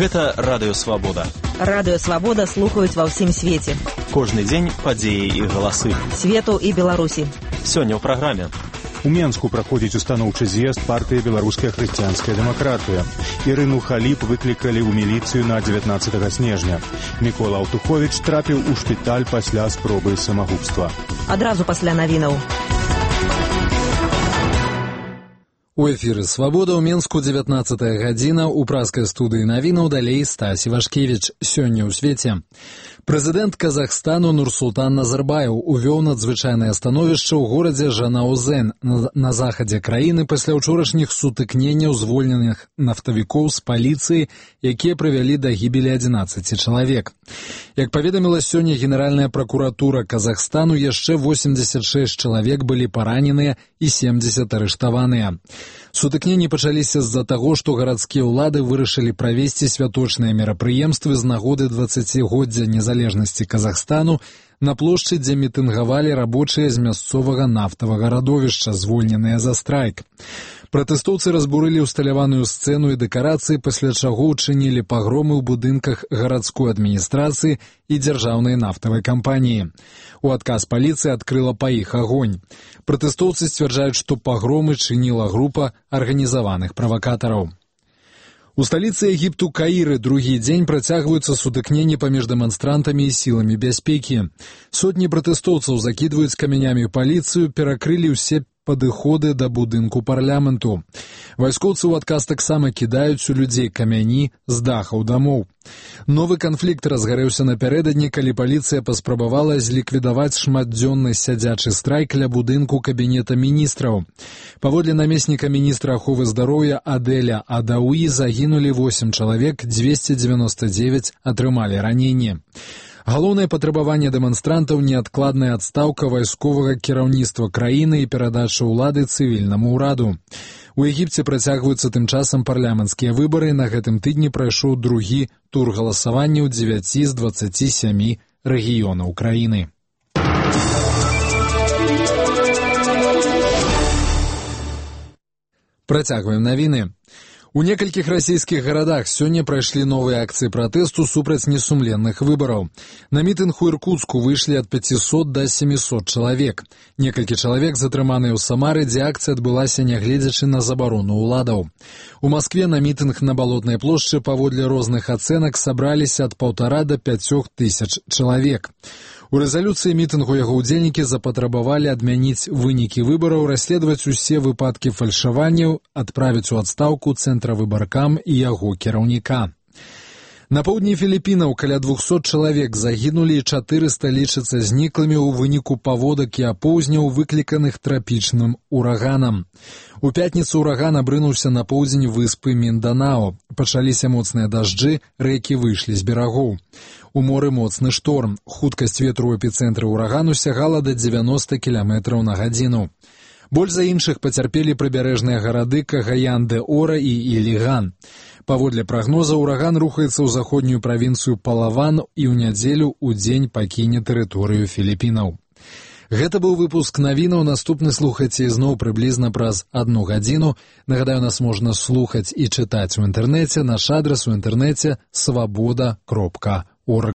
Гэта Радыё Свабода. Радыё Свабода слухаюць ва ўсім свеце. Кожны дзень падзеі і галасы. Свету і Беларусі. Сёння ў праграме. У Менску праходзіць устаноўчы з'езд партыі «Беларуская хрысціянская дэмакратыя». Ірыну Халіп выклікалі ў міліцыю на 19 снежня. Мікола Аўтуховіч трапіў у шпіталь пасля спробы самагубства. Адразу пасля навінаў. У эфіры «Свабода» ў Менску 19 гадзіна. У праскай студыі навінаў далей Стась Івашкевіч. Сёння ў свеце. Прэзідэнт Казахстану Нурсултан Назарбаев увёў надзвычайнае становішча ў горадзе Жанаузен на захадзе краіны пасля ўчорашніх сутыкненняў звольненых нафтавікоў з паліцыі, якія прывялі да гібелі 11 чалавек. Як паведаміла сёння Генеральная пракуратура Казахстану, яшчэ 86 чалавек былі параненыя і 70 арыштаваныя. Сутыкненні пачаліся з-за таго, што гарадскія ўлады вырашылі правесці святочныя мерапрыемствы з нагоды 20-годдзя незалежнасці Казахстану на плошчы, дзе мітынгавалі рабочыя з мясцовага нафтавага радовішча, звольненыя за страйк. Пратэстоўцы разбурылі ўсталяваную сцэну і дэкарацыі, пасля чаго ўчынілі пагромы ў будынках гарадской адміністрацыі і дзяржаўнай нафтавай кампаніі. У адказ паліцыя адкрыла па іх агонь. Пратэстоўцы сцвярджаюць, што пагромы чыніла група арганізаваных правакатараў. У сталіцы Егіпту Каіры другі дзень працягваюцца сутыкненні паміж дэманстрантамі і сіламі бяспекі. Сотні пратэстоўцаў закідваюць камянямі паліцыю, перакрылі ўсе падыходы да будынку парламенту. Вайскоўцы ў адказ таксама кідаюць у людзей камяні з дахаў дамоў. Новы канфлікт разгарэўся напярэдадні, калі паліцыя паспрабавала зліквідаваць шматдзённы сядзячы страйк ля будынку кабінета міністраў. Паводле намесніка міністра аховы здароўя Адэля Адауі загінулі 8 чалавек, 299 атрымалі раненні. Галоўнае патрабаванне дэманстрантаў – неадкладная адстаўка вайсковага кіраўніцтва краіны і перадача ўлады цывільнаму ўраду. У Егіпце працягваюцца тым часам парламенцкія выбары. На гэтым тыдні прайшоў другі тур галасавання ў 9 з 27 рэгіёнаў краіны. Працягваем навіны. У некалькіх расійскіх гарадах сёння прайшлі новыя акцыі пратэсту супраць несумленных выбараў. На мітынг у Іркуцку выйшлі ад 500 да 700 чалавек. Некалькі чалавек затрыманыя ў Самары, дзе акцыя адбылася нягледзячы на забарону ўладаў. У Маскве на мітынг на Балотнай плошчы паводле розных ацэнак сабраліся ад 1,5 да 5 тысяч чалавек. У рэзалюцыі мітынгу яго ўдзельнікі запатрабавалі адмяніць вынікі выбараў, расследаваць усе выпадкі фальшаванняў, адправіць у адстаўку цэнтравыбаркам і яго кіраўніка. На поўдні Філіпінаў каля 200 чалавек загінулі і 400 лічацца зніклымі ў выніку паводак і апоўзняў, выкліканых трапічным ураганам. У пятніцу ураган абрынуўся на поўдзень выспы Мінданао. Пачаліся моцныя дажджы, рэкі выйшлі з берагоў. У моры моцны шторм. Хуткасць ветру ў эпіцэнтры ўрагану сягала да 90 км на гадзіну. Больш за іншых пацярпелі прыбярэжныя гарады Кагаян-де-Ора і Іліган. Паводле прагноза, ураган рухаецца ў заходнюю правінцыю Палаван і ў нядзелю ў дзень пакіне тэрыторыю Філіпінаў. Гэта быў выпуск навінаў. Наступны слухайце ізноў прыблізна праз 1 гадзіну. Нагадаю, нас можна слухаць і чытаць у інтэрнэце. Наш адрас у інтэрнэце – swaboda.org.